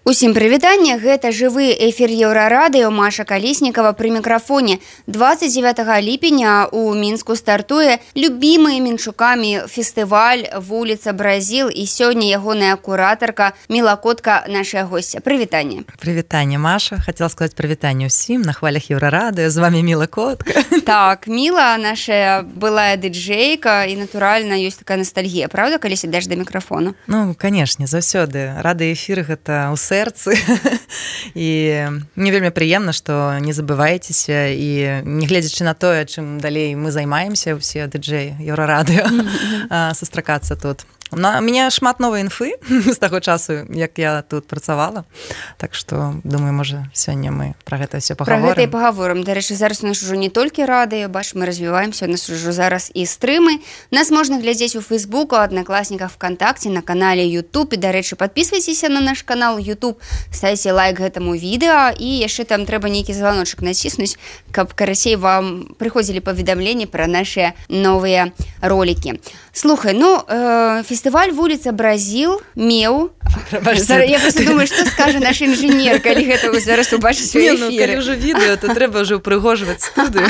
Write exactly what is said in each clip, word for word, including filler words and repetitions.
Усім прывітанне, гэта жывы эфір Еўрарадыё, Маша Калеснікава пры мікрафоне. двадцать девятого ліпеня у Мінску стартуе любімы мінчукамі фестываль «Вуліца Бразіл», і сёння ягоная куратарка Міла Котка, наша госця. Прывітанне. Прывітанне, Маша. Хацела сказаць прывітанне ўсім на хвалях Еўрарадыё. З вами Міла Котка. Так, Міла наша былая дыджэйка, і натуральна ёсць такая ностальгія, правда, калі сядзеш да мікрафону? Ну, канешне, заўсёды. Радыёэфір гэта ў сэрцы. І мне вельмі прыемна, што не забывайцеся, і не гледзячы на тое, чым далей мы займаемся, усе дыджэі Еўрарадыё, сустракацца тут. У мяне шмат новай інфы з таго часу, як я тут працавала. Так што, думаю, можа, сёння мы пра гэта ўсё пагаворым. Пра гэта і пагаворым. Дарэчы, зараз у нас ужо не толькі радыё, бач, мы развіваемся, у нас ужо зараз і стрымы. Нас можна глядзець у Фейсбуку, Аднакласніках, ВКонтакте, на канале YouTube. І, дарэчы, падпісвайцеся на наш канал YouTube, ставьте лайк гэтаму відэа, і яшчэ там трэба нейкі званочак націснуць, каб карацей вам прыходзілі паведамленні пра нашыя новыя ролікі. Слухай, ну, э, фестываль «Вуліца Бразіл» меў... Я просто думаю, што скажа наш інжынер, калі гэта вы зараз убачыць у эфіры. Не, ну, калі ўжо відэо, то трэба ўжо ўпрыгожваць студыю.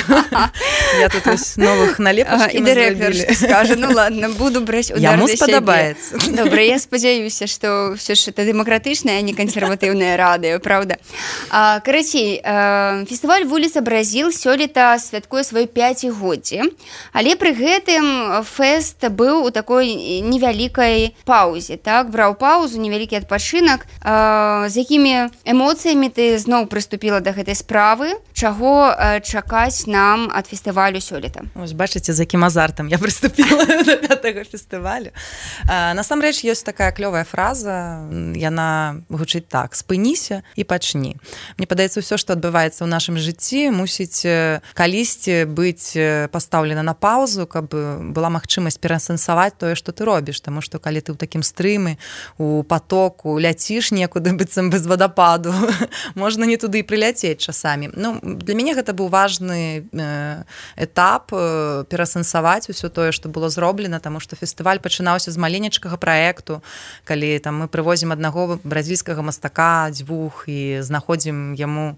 Я тут ось новых налепачкі мы зрабілі. І дырэктар што скажа, ну ладно, буду браць удар Яму да сябе. спадабаецца. Добра, я спадзяюся, што ўсё ж это дэмакратычнае, а не кансерватыўнае радыё, правда? А, карацей, фестываль «Вуліца Бразіл» сёлета святкуе сваё пяцігоддзе, але пры гэтым фэст быў у такой невялікай паўзе, так? Браў паўзу, невялікі адпачынак. З якімі эмоцыямі ты зноў прыступіла да гэтай справы? Чаго чакаць нам ад фестывалю сёлета? Ось, бачыце, з якім азартам я прыступіла да пятага фестывалю. Насамрэч, ёсць такая клёвая фраза, яна гучыць так: спыніся і пачні. Мне падаецца, ўсё, што адбываецца ў нашым жыцці, мусіць калісьці быць пастаўлена на паўзу, каб была магчымасць пераасэнсаваць тое, што ты робіш, таму што калі ты ў такім стрымы, у потоку ляціш некуды быццам без вадападу, можна не туды і прыляцець часамі. Ну, для мяне гэта быў важны этап пераасэнсаваць усё тое, што было зроблена, таму што фестываль пачынаўся з маленечкага праекту, калі там мы прывозім аднаго бразільскага мастака, дзвюх, і знаходзім яму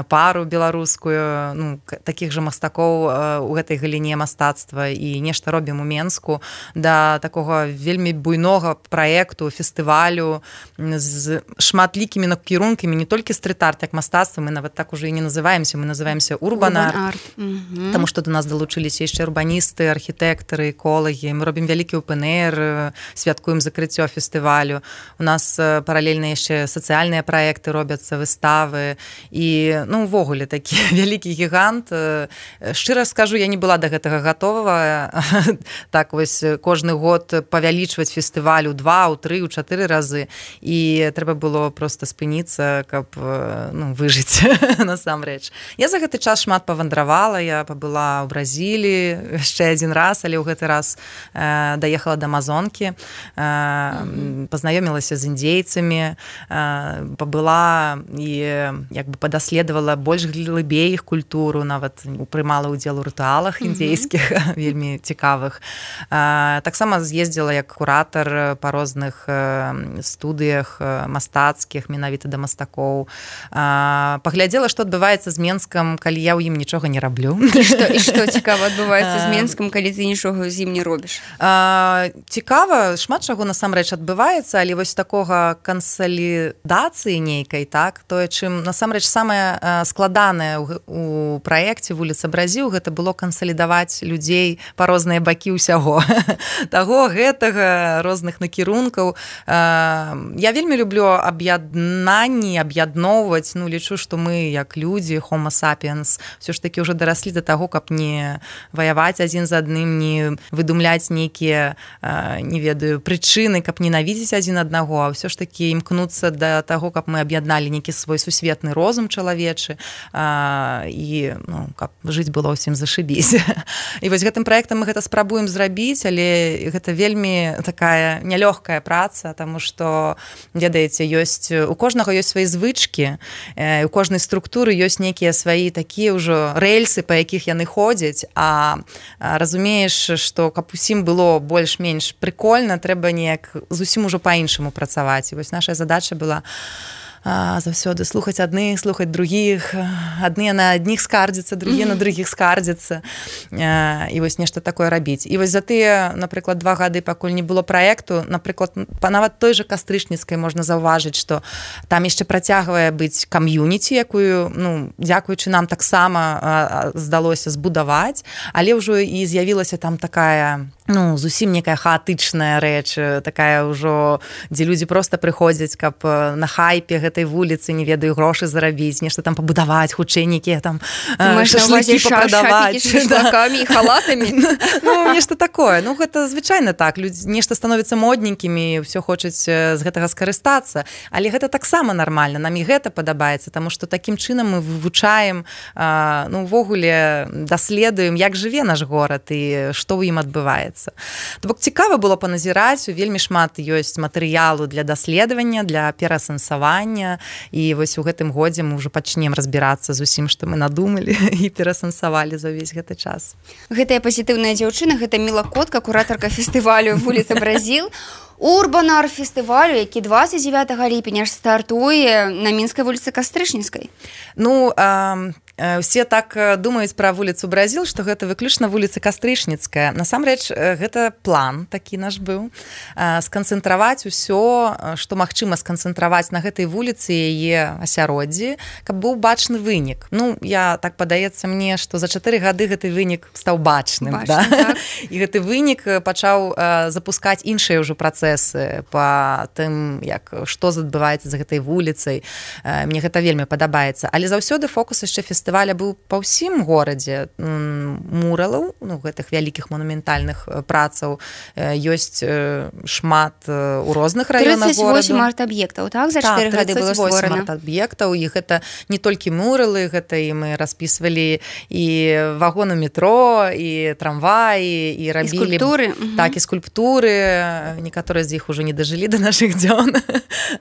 пару беларускую, ну, такіх жа мастакоў у гэтай галіне мастацтва, і нешта робім у Менску, да такога вельмі буйнога праекту, фестывалю з шматлікімі накірункамі, не толькі стрит-арт, як мастацтва, мы нават так уже і не называемся, мы называемся урбан-арт, mm-hmm. таму што до нас далучыліся яшчэ урбаністы, архітэктары, эколагі, мы робім вялікі опен-эйр, святкуем закрыццё фестывалю, у нас паралельна яшчэ сацыяльныя праекты робяцца, выставы, і, ну, увогуле такі вялікі гігант. Шчыра скажу, я не была да гэтага гатовая, так вось кожны год павялічваць фестываль у два, у тры, у чатыры разы, і трэба было проста спыніцца, каб, ну, выжыць насамрэч. Я за гэты час шмат павандравала, я пабыла ў Бразіліі яшчэ адзін раз, але ў гэты раз э, даехала да Амазонкі, э, mm-hmm. пазнаёмілася з індзейцамі, э, пабыла і як бы падаследавала больш глыбей іх культуру, нават прымала ўдзел у рытуалах індзейскіх, mm-hmm. вельмі цікавых. Э, таксама з'ездзіла як куратар па розных э, студыях э, мастацкіх, менавіта да мастакоў. Э, паглядзела, што адбываецца з Менскам, калі я ў ім нічога не раблю. І што, і што цікава адбываецца з Менскам, калі ты нічога з ім не робіш? Э, цікава, шмат чаго насамрэч адбываецца, але вось такога кансалідацыі нейкай, так, тое, чым насамрэч самае э, складанае ў, у праекце «Вуліца Бразіл», гэта было кансалідаваць людзей па розныя бакі ўсяго. Таго, гэтага, розных накірункаў. Я вельмі люблю аб'яднанні, аб'ядноўваць, ну, лічу, што мы, як людзі, homo sapiens, ўсё ж такі ўжо дараслі да таго, каб не ваяваць адзін з адным, не выдумляць нейкія, не ведаю, прычыны, каб ненавідзець адзін аднаго, а ўсё ж такі імкнуцца да таго, каб мы аб'ядналі нейкі свой сусветны розум чалавечы, і, ну, каб жыць было ўсім зашыбісь. І вось гэтым праектам мы гэта спрабуем зрабіць, але гэта вельмі такая нялёгкая праца, таму што, ведаеце, ёсць, у кожнага ёсць свае звычкі, у кожнай структуры ёсць нейкія свае такія ўжо рэльсы, па якіх яны ходзяць, а разумееш, што каб усім было больш-менш прыкольна, трэба неяк зусім ужо па-іншаму працаваць. І вось наша задача была заўсёды слухаць адных, слухаць другіх, адныя на адних скардзяцца, другія на другіх скардзяцца, і вось нешта такое рабіць. І вось за тыя, напрыклад, два гады, пакуль не было праекту, напрыклад, нават той жа Кастрычніцкай можна заўважыць, што там яшчэ працягвае быць кам'юніці, якую, ну, дзякуючы нам таксама здалося збудаваць, але ўжо і з'явілася там такая, ну, зусім некая хаатычная рэч, такая ўжо, дзе людзі проста прыходзяць, каб на хайпе гэтай вуліцы, не ведаю, грошы зарабіць, нешта там пабудаваць, хутчэй нейкія там шашлыкі папрадаваць. Шашлыкамі і халатамі. Ну, нешта такое. Ну, гэта звычайна так. Людзі нешта становіцца модненькімі, ўсё хочуць з гэтага скарыстацца. Але гэта таксама нармальна. Нам і гэта падабаецца, таму што такім чынам мы вывучаем, ну, увогуле даследуем, як жыве наш горад і што ў ім адбываецца. То бок цікава было паназіраць, вельмі шмат ёсць матэрыялу для даследавання, для перасэнсавання, і вось у гэтым годзе мы ўжо пачнем разбірацца з усім, што мы надумалі і перасэнсавалі за ўвесь гэты час. Гэтая пазітыўная дзяўчына, гэта Міла Котка, куратарка фестывалю «Вуліца Бразіл», урбан-арт-фестывалю, які двадцять девятого ліпеня ж стартуе на Мінскай вуліцы Кастрычніцкай. Ну, а... Усе так думаюць пра вуліцу Бразіл, што гэта выключна вуліца Кастрычніцкая. Насамрэч, гэта план такі наш быў. Сканцэнтраваць усё, што магчыма сканцэнтраваць на гэтай вуліцы яе асяроддзі, каб быў бачны вынік. Ну, я так падаецца мне, што за чатыры гады гэты вынік стаў бачным. Бачным, да? Так. І гэты вынік пачаў запускаць іншыя ўжо працэсы па тым, як, што адбываецца за гэтай вуліцай. Мне гэта вельмі падабаецца. Але заўсёды фокус яшчэ фестываля фестываля быў па ўсім горадзе, муралаў, ну, гэтых вялікіх манументальных працаў ёсць шмат у розных раёнах гораду. тридцать восемь арт-аб'ектаў, так? За чатыры гады было створана. тридцать восемь арт-аб'ектаў, і гэта не толькі муралы, гэта і мы распісвалі і вагоны метро, і трамваі, і рабілі... І скульптуры. Так, і скульптуры. Некаторыя з іх ужо не дажылі да нашых дзён,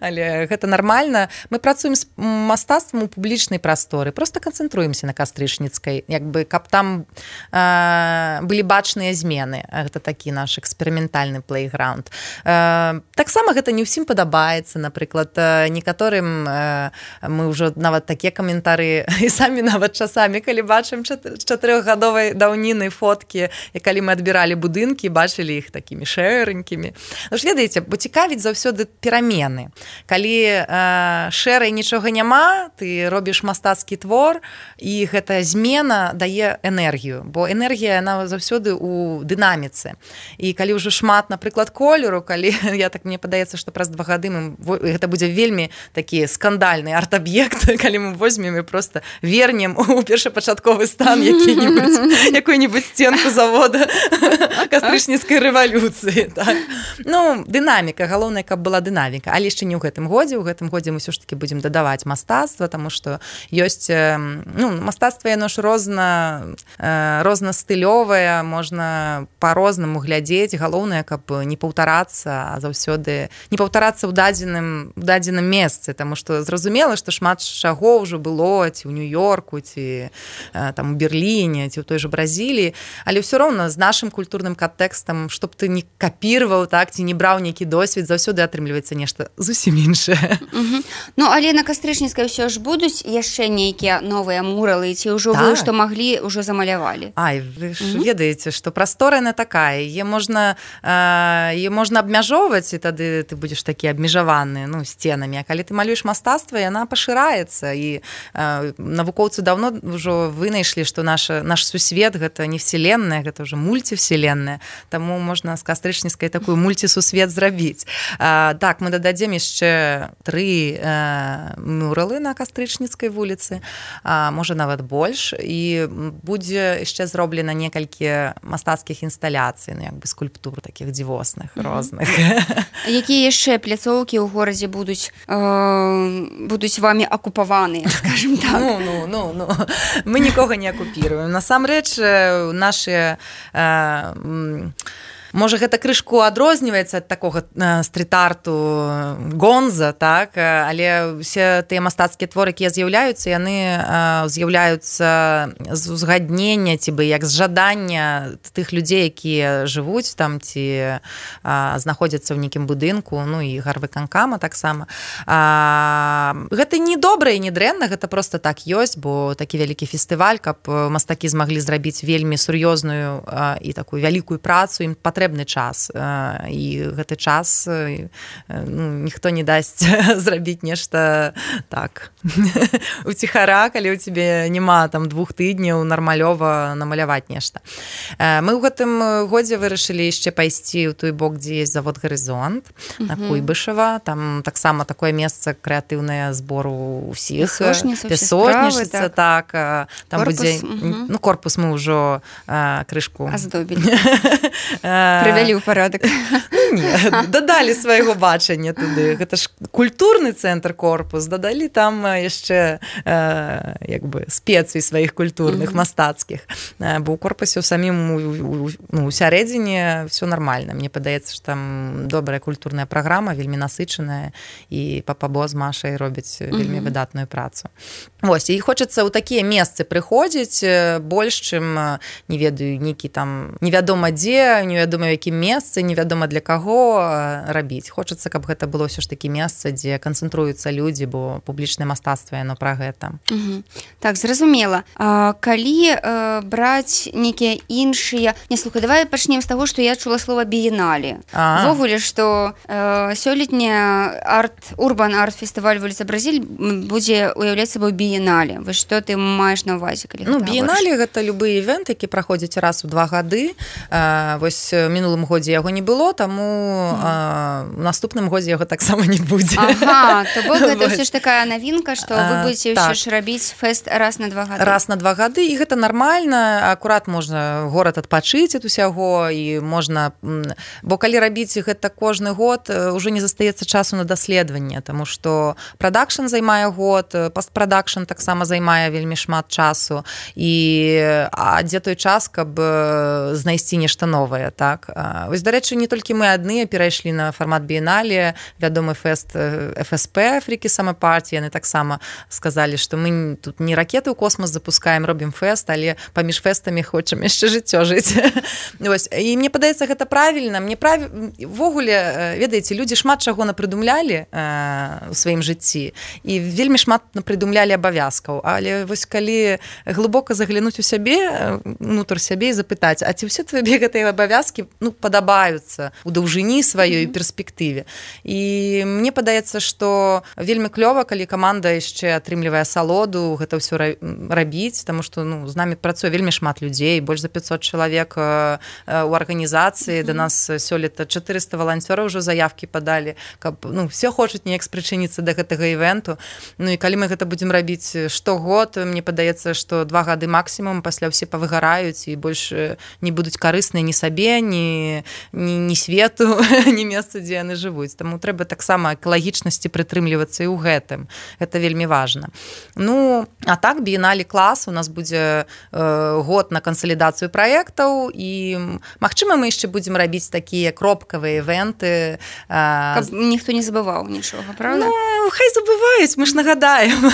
але гэта нармальна. Мы працуем з мастацтвам у публічнай прасторы, проста канцэнтруемся на Кастрычніцкай, як бы, каб там э, былі бачныя змены. Гэта такі наш эксперыментальны плейграунд. Э, таксама гэта не ўсім падабаецца, напрыклад, некаторым э, мы ўжо нават такія каментары і самі нават часамі, калі бачым чатырохгадовай даўніны фоткі, і калі мы адбіралі будынкі, бачылі іх такімі шэранькімі. Ну ж, ведаеце, бо цікавіць заўсёды перамены. Калі э, шэрай нічога няма, ты робіш мастацкі твор, і гэтая змена дае энергію, бо энергія, яна заўсёды ў дынаміцы. І калі ўжо шмат, напрыклад, колеру, калі, я так, мне падаецца, што праз два гады мы, гэта будзе вельмі такі скандальны арт-аб'ект, калі мы возьмем і проста вернем у першапачатковы стан які-небудзь, якую-небудзь сценку завода Кастрычніцкай рэвалюцыі. Так. Ну, дынаміка, галоўнае, каб была дынаміка, але яшчэ не ў гэтым годзе, у гэтым годзе мы ўсё ж такі будзем дадаваць мастацтва, таму што ёсць, ну, мастацтва яно ж розна, рознастылёвае, можна па-рознаму глядзець, галоўнае, каб не паўтарацца, а заўсёды не паўтарацца ў дадзеным, ў дадзеным месцы, таму што зразумела, што шмат чаго ўжо было ці ў Нью-Йорку, ці там у Берліне, ці ў той жа Бразіліі, але ўсё роўна з нашым культурным кантэкстам, што б ты не капірваў, так, ці не браў нейкі досвед, заўсёды атрымліваецца нешта зусім іншае. Угу. Ну, але на Кастрычніцкай ўсё ж будуць яшчэ нейкія новыя муралы, ці ўжо так. Вы, што маглі, ўжо замалявалі? Ай, вы ж угу. ведаеце, што прастора яна такая, е можна, е можна абмяжоўваць, і тады ты будзеш такі абмежаваны, ну, сценамі, а калі ты малюеш мастацтва, яна пашыраецца, і э, навукоўцы даўно ўжо вынайшлі, што наш, наш сусвет гэта не вселенная, гэта ўжо мульцівселенная, таму можна з Кастрычніцкай такую мульцісусвет зрабіць. Э, так, мы дададзем яшчэ тры э, муралы на Кастрычніцкай вуліцы, а можа нават больш, і будзе яшчэ зроблена некалькі мастацкіх інсталяцый, ну, як бы скульптур такіх дзівосных, mm-hmm. розных. Якія яшчэ пляцоўкі ў горадзе будуць э, будуць вамі акупаваныя, скажем так? Ну, ну, ну, ну. Мы нікога не акупіруем. Насамрэч, нашы э, можа гэта крышку адрозніваецца ад такога стрит-арту гонза, так, але все тыя мастацкія творы, якія з'яўляюцца, яны з'яўляюцца з узгаднення ці бы як з жадання тых людзей, якія жывуць там ці знаходзяцца ў нейкім будынку, ну і гарвыканкама таксама. Гэта не добра і не дрэнна, гэта просто так ёсць, бо такі вялікі фестываль, каб мастакі змаглі зрабіць вельмі сур'ёзную і такую вялікую працу, ім патрэбны час. І гэты час ну, ніхто не дасць зрабіць нешта так уціхара, калі ў цябе няма там двух тыдняў нармалёва намаляваць нешта. Мы ў гэтым годзе вырашылі яшчэ пайсці ў той бок, дзе ёсць завод «Гарызонт» на Куйбышева. Там таксама такое месца крэатыўнае збору ўсіх. Песочніца, так. Там корпус, будзе, угу. ну, корпус мы ўжо а, крышку аздобілі. Прывялі ў парадак. Не, дадалі свайго бачання туды. Гэта ж культурны цэнтр корпус. Дадалі там яшчэ як бы спецый сваіх культурных, mm-hmm. мастацкіх. Бо ў корпусе ў самім ну, у сярэдзіне все нормально. Мне падаецца, што там добрая культурная праграма, вельмі насычаная, і папа-бо з Машай робяць вельмі mm-hmm. выдатную працу. Вось, і хочацца ў такія месцы прыходзіць больш, чым, не ведаю, нейкі там невядома дзе, невядома ў якім месцы, невядома для каго рабіць. Хочацца, каб гэта было ўсё ж такі месца, дзе канцэнтруюцца людзі, бо публічнае мастацтва, яно пра гэта. Угу. Так, зразумела. А, калі э, браць нейкія іншыя... Не, слухай, давай пачнем з таго, што я чула слова біеннале. Ввогуле, што э, сёлетняя арт, урбан арт-фестываль вуліца Бразіль будзе уяўляць сабой біеннале. Вось што ты маеш на ўвазе, калі ну, біеннале гэта любы івент, які праходзіць раз у два гады. Э, вось у мінулым годзе яго не было, таму э, у наступным годзе яго таксама не будзе. Ага, то бок гэта ўсё ж такая навінка, што вы будзеце ўсё ж рабіць фэст раз на два гады. Раз на два гады, і гэта нармальна. Акурат можна горад адпачыць ад усяго, і можна... Бо калі рабіць гэта кожны год, ўжо не застаецца часу на даследаванне, таму што прадакшн займае год, пастпрадакшн таксама займае вельмі шмат часу, і а дзе той час, каб знайсці нешта новае, так? Вось, дарэчы, не толькі мы адныя перайшлі на фармат біеннале, вядомы фэст эф эс пэ, Фрікі Сама Парті, яны таксама сказалі, што мы тут не ракеты ў космос запускаем, робім фэст, але паміж фэстамі хочам яшчэ жыццё жыць. Вось. І мне падаецца, гэта правільна. Мне прав... Ввогуле, ведаеце, людзі шмат чаго напрыдумлялі ў сваім жыцці, і вельмі шмат напрыдумлялі абавязкаў. Але вось калі глыбока заглянуць у сябе, унутр сябе і запытаць, а ці ўсе твае гэтыя абавязкі ну, падабаюцца ў даўжыні сваёй mm-hmm. перспектыве. І мне падаецца, што вельмі клёва, калі каманда яшчэ атрымлівае асалоду гэта ўсё рабіць, таму што ну, з намі працуе вельмі шмат людзей, больш за пятьсот чалавек у арганізацыі. Mm-hmm. Да нас сёлета чатырыста валанцёраў ўжо заявкі падалі, каб ну, все хочуць неяк спрычыніцца да гэтага івенту. Ну і калі мы гэта будзем рабіць штогод, мне падаецца, што два гады максімум, пасля ўсе павыгараюць і больш не будуць карысныя ні сабе, ні, ні, ні свету, ні месца, дзе яны жывуць. Таму трэба таксама экалагічнасці прытрымлівацца і ў гэтым. Гэта вельмі важна. Ну, а так, біеннале клас, у нас будзе э, год на кансалідацыю праектаў, і, магчыма, мы яшчэ будзем рабіць такія кропкавыя івенты. Э, Каб ніхто не забываў нічога, правда? Ну, хай забываюць, мы ж нагадаем.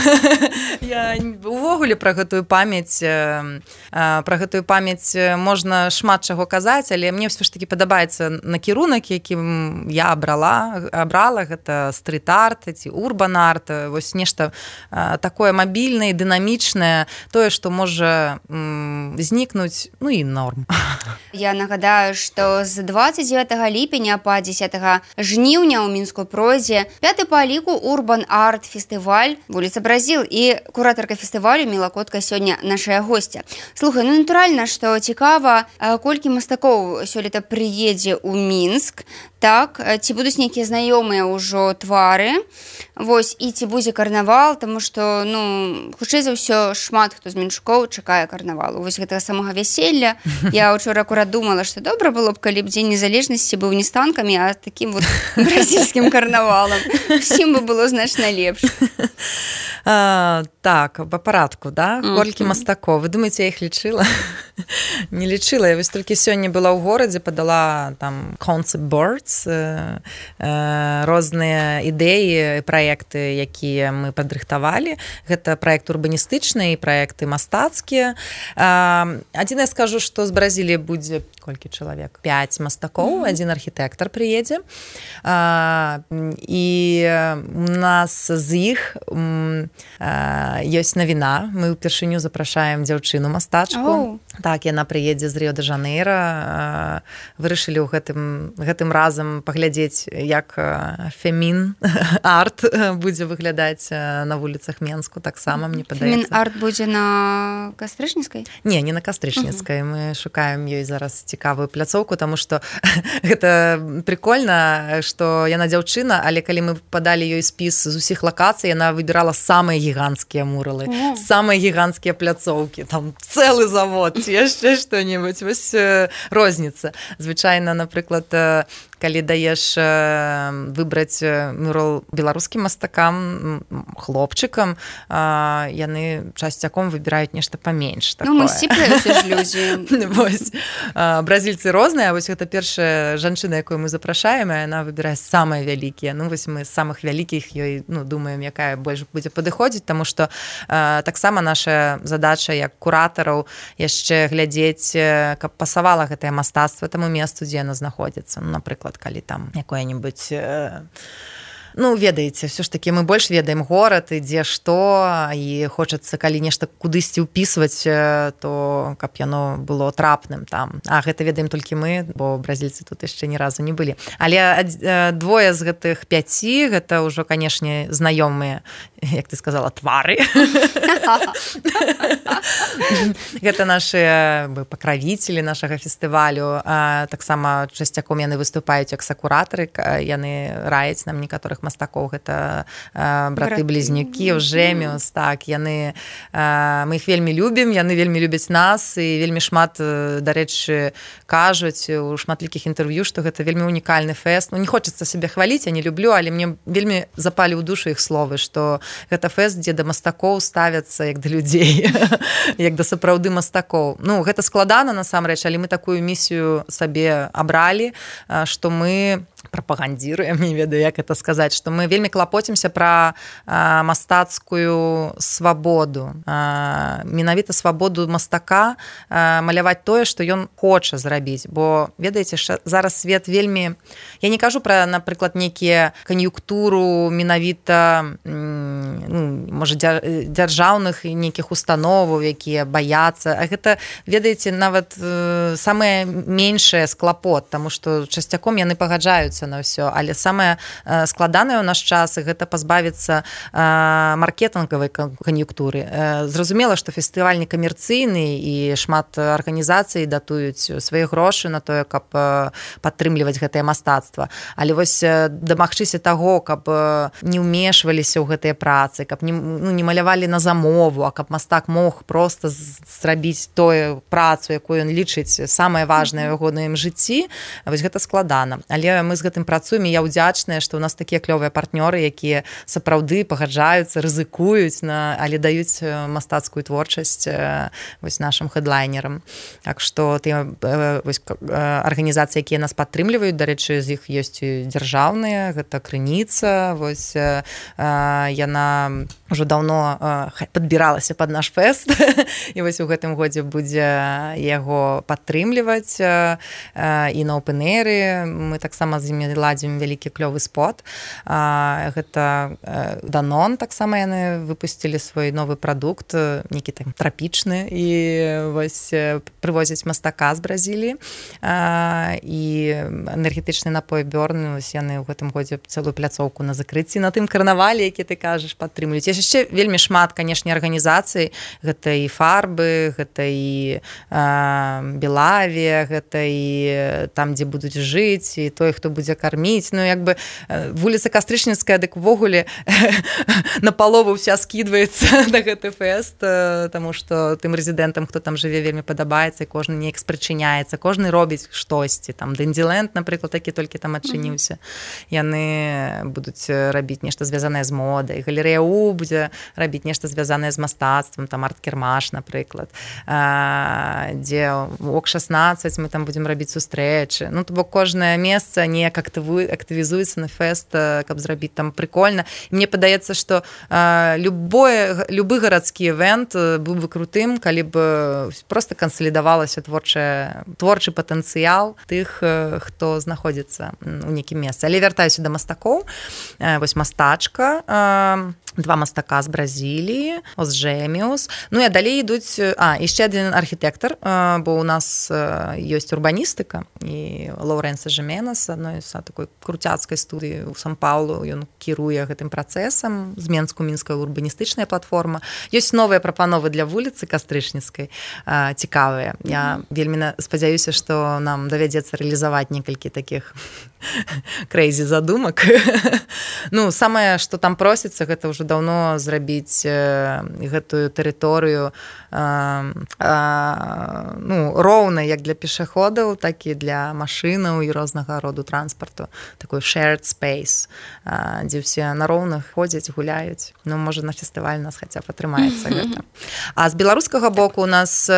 Я увогуле пра гэтую памяць, э, пра гэтую памяць можна шмат чаго казаць, але мне ўсё ж такі падабаецца накірунак, якім я абрала, абрала гэта стрит-арт ці урбан-арт, вось нешта такое мабільнае, дынамічнае, тое, што можа м, знікнуць, ну і норм. Я нагадаю, што з двадцать девятого ліпеня па дзесятого жніўня ў Мінску пройдзе пяты па ліку урбан-арт фестываль вуліца Бразіл, і куратарка фестывалю Міла Котка сёння нашая госця. Слухай, ну натуральна, што цікава, колькі мастакоў сёлета прыедзе ў Мінск, так, ці будуць нейкія знаёмыя ўжо твары, вось, і ці будзе карнавал, таму што, ну, хутчэй за ўсё, шмат хто з мінчукоў чакае карнавалу. Вось гэтага самага вяселля. Я ўчора акурат думала, што добра было б, калі б Дзень незалежнасці быў не з танкамі, а такім вот бразільскім карнавалам. Усім бы было значна лепш. А, так, па парадку, да? Колькі мастакоў. Вы думаеце, я іх лічыла? Не лічыла, я вось толькі сёння была ў горадзе, падала там concept boards, розныя ідэі, праекты, якія мы падрыхтавалі. Гэта праект урбаністычны і праекты мастацкія. Адзін я скажу, што з Бразіліі будзе колькі чалавек? пяць мастакоў, mm-hmm. адзін архітэктар прыедзе. І у нас з іх ёсць навіна. Мы ўпершыню запрашаем дзяўчыну мастачку. Oh. Так, яна прыедзе з Рыё-дэ-Жанейра. Вырашылі ў гэтым, гэтым разам паглядзець, як фемін-арт будзе выглядаць на вуліцах Менску. Таксама, мне падаецца. Фемін-арт будзе на Кастрычніцкай? Не, не на Кастрычніцкай. Uh-huh. Мы шукаем ёй зараз цікавую пляцоўку, таму што гэта прикольна, што яна дзяўчына, але калі мы падалі ёй спіс з усіх лакацый, яна выбірала самыя гіганцкія муралы, uh-huh. самыя гіганцкія пляцоўкі, там цэлы завод, ці яшчэ што-небудзь. Вось розніца. Звычайна, напрыклад, калі даеш выбраць мурал беларускім мастакам, хлопчыкам, яны часцяком выбіраюць нешта паменш. Ну, мы сціплыя ўсе ж людзі. Вось. Бразільцы розныя, вось гэта першая жанчына, якую мы запрашаем, і яна выбірае самыя вялікія. Ну, вось мы з самых вялікіх ёй, ну, думаем, якая больш будзе падыходзіць, таму што таксама наша задача як куратараў яшчэ глядзець, каб пасавала гэтае мастацтва таму месцу, дзе яно знаходзіцца. Ну, напрыклад, калі там якое-нибудь, ну, ведаеце, все ж таки мы больш ведаем горад і дзе што, і хочацца, калі нешта кудысьці ўпісваць, то каб яно было трапным там. А гэта ведаем толькі мы, бо бразільцы тут яшчэ ні разу не былі. Але двое з гэтых пяці, гэта ўжо, канешне, знаёмыя, як ты сказала, твары. Гэта нашыя пакравіцелі нашага фестывалю. Таксама часцяком яны выступаюць як сакуратары, яны раяць нам некаторых мастакоў, гэта браты-блізнюкі, Жэміус, так, яны, мы іх вельмі любім, яны вельмі любяць нас, і вельмі шмат, дарэчы, кажуць у шматлікіх інтэрв'ю, што гэта вельмі унікальны фэст. Ну, не хочацца сябе хваліць, я не люблю, але мне вельмі запалі ў душу іх словы, што гэта фэст, дзе да мастакоў ставяцца як да людзей, як да сапраўды мастакоў. Ну, гэта складана, насамрэч, але мы такую місію сабе абралі, што мы прапагандзіруем, не ведаю, як это сказаць, што мы вельмі клапоцімся пра а, мастацкую свабоду. А, менавіта свабоду мастака а, маляваць тое, што ён хоча зрабіць. Бо, ведаеце, зараз свет вельмі... Я не кажу пра, напрыклад, нейкія кан'юнктуру менавіта, ну, можа, дзяржаўных нейкіх установаў, якія баяцца. А гэта, ведаеце, нават э, самае меншае склапот, таму што часцяком яны пагаджаюцца на ўсё, але самае складанае ў наш час гэта пазбавіцца маркетынгавай кан'юнктуры. Зразумела, што фестываль не камерцыйны і шмат арганізацый датуюць свае грошы на тое, каб падтрымліваць гэтае мастацтва. Але вось дамагчыся таго, каб не ўмешваліся ў гэтыя працы, каб не, ну, не малявалі на замову, а каб мастак мог проста зрабіць тое працу, якую ён лічыць самае важнае ў ягоным жыцці, вось гэта складана. Але мы з гэтым працуем, і я ўдзячная, што ў нас такія клёвыя партнёры, якія сапраўды пагаджаюцца, рызыкуюць, на, але даюць мастацкую творчасць вось нашым хэдлайнерам. Так што тыя вось арганізацыі, якія нас падтрымліваюць, дарэчы, з іх ёсць і дзяржаўныя, гэта Крыніца, вось яна ўжо даўно падбіралася пад наш фэст, і вось у гэтым годзе будзе яго падтрымліваць, і на опен-эйры мы таксама з імі ладзім вялікі клёвы спот. Гэта Данон, таксама яны выпусцілі свой новы прадукт, нейкі там трапічны, і вось прывозяць мастака з Бразіліі, і энергетычны напой Бёрн, вось яны ў гэтым годзе цэлую пляцоўку на закрыцці на тым карнавале, які ты кажаш, падтрымлююць. Яшчэ вельмі шмат, канешне, арганізацый, гэта і Фарбы, гэта і Белавія, гэта і там, дзе будуць жыць, і той, хто будзе карміць. Ну, як бы вуліца Кастрычніцкая, дык увогуле на палову вся скідваецца на гэты фэст, таму што тым рэзідэнтам, хто там жыве, вельмі падабаецца, і кожны неяк спрычыняецца, кожны робіць штосьці. Там Дендзіленд, напрыклад, такі толькі там адчыніўся. Яны будуць рабіць нешта звязанае з модай. Галерэя ПТУ будзе рабіць нешта звязанае з мастацтвам, там арт-кірмаш, напрыклад, дзе ок шаснаццаць мы там будзем рабіць сустрэчы. Ну, то бок кожнае месца неяк актывізуецца на фэст, каб зрабіць там прикольна. І мне падаецца, што любое, любы гарадскі івент быў бы крутым, калі б проста кансалідавалася творчая, творчы патэнцыял тых, хто знаходзіцца у нейкім месцы. Але вяртаюся да мастакоў. Вось мастачка, два мастака з Бразіліі, Озжеміус. Ну і далей ідуць, а, яшчэ адзін архітэктар, бо у нас ёсць урбаністыка, і Лоуренса Жименес, адной з такой круцяцкай студыі ў Сан-Паулу, ён кіруе гэтым працэсам, з Менску-мінская урбаністычная платформа. Ёсць новыя прапановы для вуліцы Кастрычніцкай, цікавыя. Я mm-hmm. вельмі спадзяюся, што нам давядзецца рэалізаваць некалькі такіх крэйзі задумак. Ну, самае, што там просіцца, гэта ўжо даўно зрабіць гэтую тэрыторыю ну, роўнай як для пешаходаў, так і для машынаў і рознага роду транспарту. Такой shared space, дзе ўсе на роўных ходзяць, гуляюць. Ну, можа, на фестываль нас хаця б атрымаецца гэта. А з беларускага боку у нас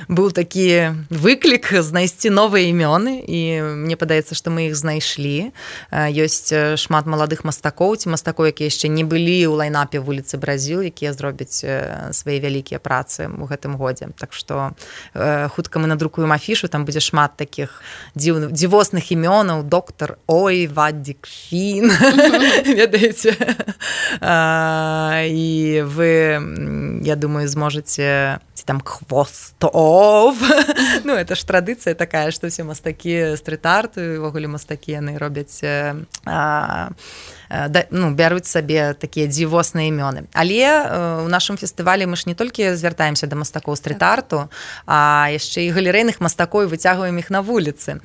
быў такі выклік знайсці новыя імёны, і мне падаецца, што мы іх знайшлі. Ёсць шмат маладых мастакоў, ці мастакоў, якія яшчэ не былі ў лайнапе вуліцы Бразіл, якія зробяць свае вялікія працы ў гэтым годзе. Так што хутка мы надрукуем афішу, там будзе шмат такіх дзіў, дзівосных імёнаў, доктор Ой, Ваддік Фін, ведаеце. І вы, я думаю, зможаце ці там Хвостов. Ну, это ж традыцыя такая, што ўсе мастакі стрит-арту, і ўвогуле мастакі яны робяць, да, ну, бяруць сабе такія дзівосныя імёны. Але ў нашым фестывалі мы ж не толькі звяртаемся да мастакоў стрит-арту, а яшчэ і галерэйных мастакоў, і выцягваем іх на вуліцы.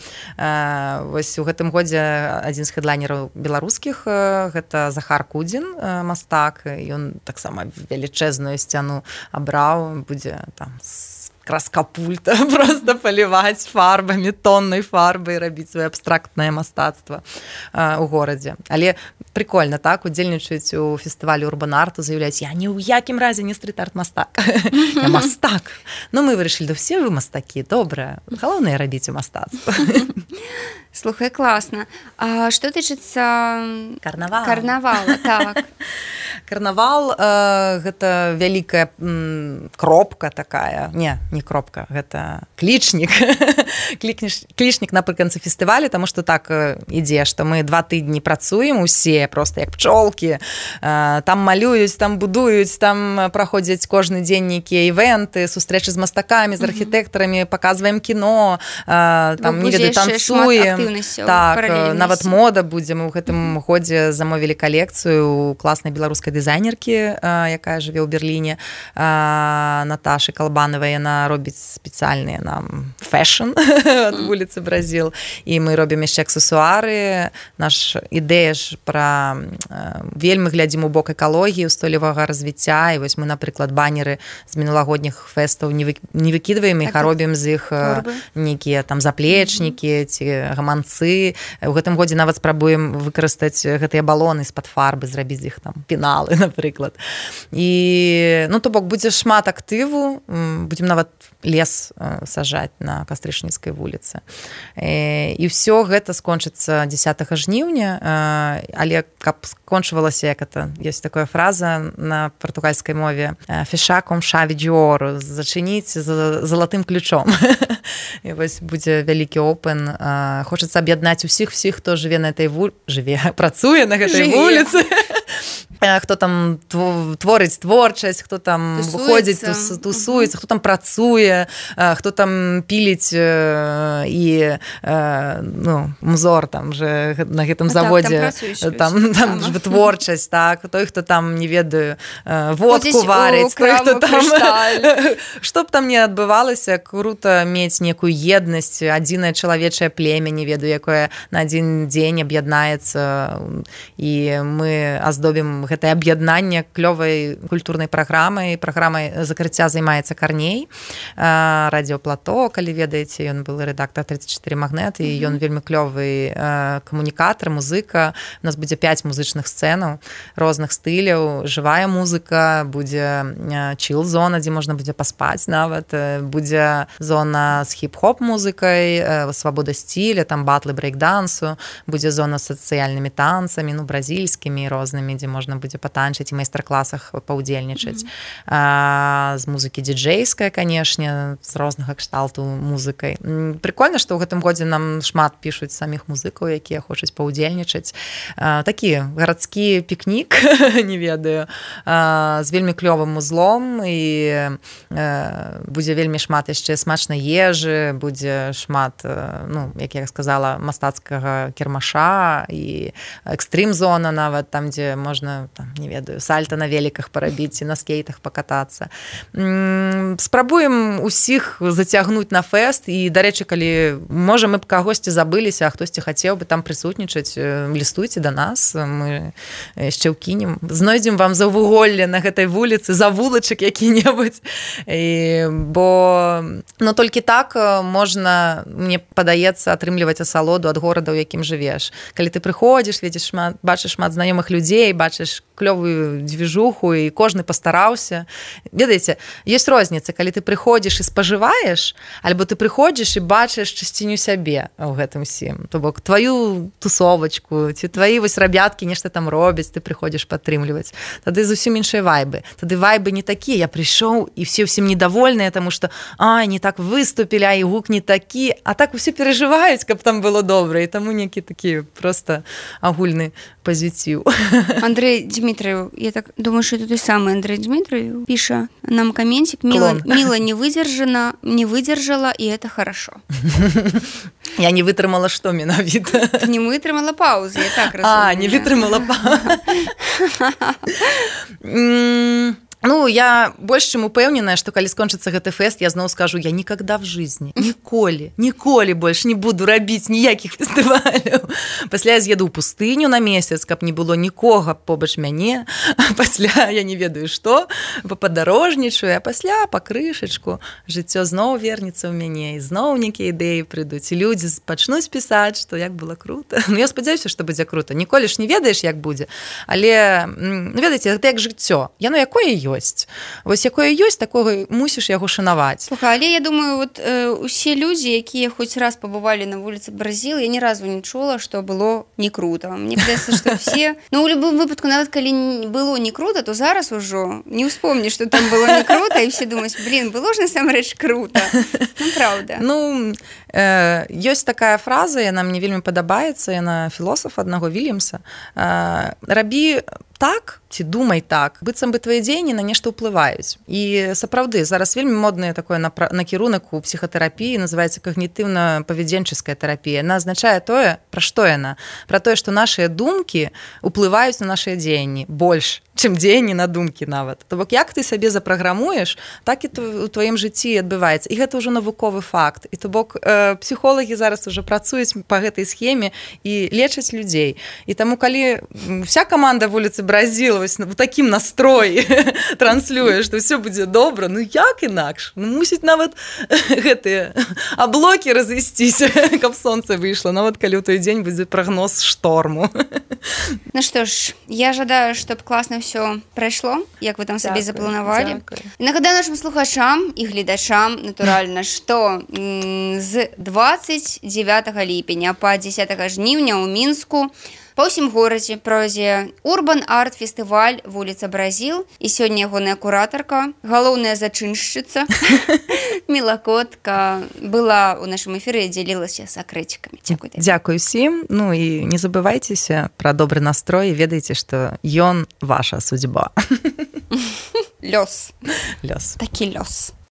Вось у гэтым годзе адзін з хедлайнераў беларускіх, гэта Захар Кудзін, мастак, ён таксама велічэзную сцяну абраў, будзе там краскапульта просто паліваць фарбамі, тоннай фарбай, рабіць сваё абстрактнае мастацтва у горадзе. Але прикольна, так, удзельнічаюць у фестывалі урбан-арту, заяўляюць, я ні ў якім разе не стрит-арт-мастак. Я мастак. Ну, мы вырашылі, да все вы мастакі, добра. Галоўнае рабіць у мастацтва. Слухай, класна. А што тычыцца карнавала? Карнавала, так. Карнавал э, гэта вялікая м, кропка такая. Не, не кропка, гэта клічнік. Клічнік напрыканцы фестывалю, таму што так ідзе, што мы два тыдні працуем усе, проста як пчолкі. Э, там малююць, там будуюць, там праходзяць кожны дзень нейкія івенты, сустрэчы з мастакамі, з архітэктарамі, паказваем кіно, э, там, не ведаю, танцуем. Так, нават мода будзе. Мы ў гэтым годзе замовілі калекцыю у класнай беларускай дызайнеркі, якая жыве ў Берліне, Наташы Калбанавай. Яна робіць спецыяльныя нам фэшн ад вуліцы Бразіл. І мы робім яшчэ аксесуары. Наш ідэя ж пра вельмі глядзім у бок экалогіі, устойлівага развіцця. І вось мы, напрыклад, банеры з мінулагодніх фэстаў не выкідваем іх, а робім з іх нейкія там заплечнікі ці гаманцы. У гэтым годзе нават спрабуем выкарыстаць гэтыя балоны з-пад фарбы, зрабіць іх там пеналы, напрыклад. І, ну, то бок, будзе шмат актыву, будзем нават лес сажаць на Кастрычніцкай вуліцы. І ўсё гэта скончыцца дзесятага жніўня, але каб скончвалася, як это, ёсць такая фраза на партугальскай мове, «Феша ком шави д'ору», зачыніць залатым ключом. І вось будзе вялікі опен. Хочацца аб'яднаць усіх всіх, хто жыве на этой вуліцы, жыве, працуе на гэтай вуліцы. Хто там творыць творчасць, хто там выходзіць, тусуецца, хто там працуе, хто там піліць і ну, музор там же на гэтым заводзе, там, там ж творчасць, так, той, хто там, не ведаю, водку варыць, той, хто там, што б там не адбывалася, круто мець некую еднасць, адзінае чалавечае племя, не ведаю, якое на адзін дзень аб'яднаецца, і мы аздобім гэтае аб'яднанне клёвай культурнай праграмай. Праграмай закрыцця займаецца Карней, радыёплато, калі ведаеце, ён был рэдактар тридцать четыре Магнет, і ён вельмі клёвы камунікатар, музыка. У нас будзе пяць музычных сцэнаў розных стыляў, жывая музыка, будзе чил-зона, дзе можна будзе паспаць нават, будзе зона з хіп-хоп музыкай, свабода стиля, там батлы брейк-дансу, будзе зона з сацыяльнымі танцамі, ну, бразільскімі рознымі, дзе можна будзе патанчыць і майстар-класах паўдзельнічаць. Mm-hmm. А, з музыкі дыджэйская, канешне, з рознага кшталту музыкай. Прикольна, што ў гэтым годзе нам шмат пішуць саміх музыкаў, якія хочуць паўдзельнічаць. А, такі гарадскі пікнік, не ведаю, а, з вельмі клёвым узлом, і а, будзе вельмі шмат яшчэ смачнай ежы, будзе шмат, ну, як я сказала, мастацкага кірмаша і экстрым-зона нават, там, дзе можна, там, не ведаю, сальта на великах парабіць і на скейтах пакатацца. Спрабуем усіх зацягнуць на фэст, і, дарэчы, калі, можа, мы б кагосьці забыліся, а хтосьці хацеў бы там прысутнічаць, лістуйце да нас, мы яшчэ ўкінем, знойдзем вам заўвуголле на гэтай вуліцы, завулачак які-небудзь, і, бо, ну, толькі так можна, мне падаецца, атрымліваць асалоду ад горада, у якім жывеш. Калі ты прыходзіш, видишь шмат, бачыш шмат знаёмых людзей, бачыш клёвую движуху, і кожны пастараўся. Ведаеце, ёсць розніца, калі ты прыходзіш і спажываеш, альбо ты прыходзіш і бачыш часціню сябе ў гэтым всім. То бок, твою тусовачку, ці твои вось рабяткі нешта там робяць, ты прыходзіш падтрымліваць. Тады зусім іншыя вайбы. Тады вайбы не такія. Я прыйшоў, і все ўсім недовольныя, таму што, ай, не так выступілі, а і гук не такі. А так усе перажываюць, каб там было добра, і таму некі такі просто агульны позитив. Андрей Дмитриев, я так думаю, что это той самый Андрей Дмитриев, пишет нам комментик: Мила, Мила не выдержана, не выдержала, и это хорошо. Я не вытрымала, что менавіта? Не вытрымала паузы, я так разумею. А, не вытрымала паузы. Ну, я больш чым упэўненая, што калі скончыцца гэты фэст, я зноў скажу, я никогда в жизни, ніколі, ніколі больш не буду рабіць ніякіх фестываляў. Пасля я з'еду ў пустыню на месяц, каб не было нікога побач мяне, пасля я не ведаю што, падарожнічаю, а пасля па крышачку жыццё зноў вернецца ў мяне, і зноў нейкія ідэі прыйдуць, і людзі пачнуць пісаць, што як было круто. Ну, я спадзяюся, што будзе круто. Ніколі ж не ведаеш, як будзе, але, ну, ведаеце, гэта як жыццё. Яно якое ёсць. Вось якое ёсць, такога мусіш яго шанаваць. Слухай, але я думаю, вот э, усе людзі, якія хоць раз пабывалі на вуліцы Бразілы, я ні разу не чула, што было не круто. Мне кажется, што все... Ну, у любым выпадку, нават калі было не круто, то зараз ужо не ўспомніш, што там было не круто, і все думаюць, блин, было ж насамрэч круто. Ну, правда. Ну, э, ёсць такая фраза, яна мне вельмі падабаецца, яна філосафа аднаго Вільямса. Э, рабі так, ці думай так, быццам бы твае дзеянні на нешта ўплываюць. І сапраўды, зараз вельмі моднае такое накірунак у псіхатэрапіі, называецца когнітыўна-павядзенческая тэрапія. Яна азначае тое, пра што яна? Пра тое, што нашыя думкі ўплываюць на нашыя дзеянні больш, чым дзеянні на думкі нават. То бок, як ты сабе запраграмуеш, так і у тваім жыцці адбываецца. І гэта ўжо навуковы факт. І то бок, э, псіхолагі зараз уже працуюць па гэтай схеме і лечаць людзей. І таму, калі вся каманда вуліцы Бразілы вось в такім настроі транслюе, што ўсё будзе добра, ну як інакш? Ну, мусіць нават гэтыя аблокі разысціся, каб сонца выйшло, нават калі ў той дзень будзе прагноз шторму. Ну што ж, я жадаю, чтоб класна ўсё прайшло, як вы там сабе запланавалі. І нагадаю нашим слухачам і гледачам, натуральна, што з двадцать девятого ліпеня па дзесятага жніўня ў Мінску па ўсім горадзе пройдзе Urban Art фестываль вуліца Бразіл, і сёння ягоная куратарка, галоўная зачыншчыца Міла Котка была ў нашым эфіры і дзялілася сакрэцікамі. Дзякуй. Дзякуй усім. Ну і не забывайцеся пра добры настрой, ведаеце, што ён ваша судьба. Лёс. Лёс. Такі лёс.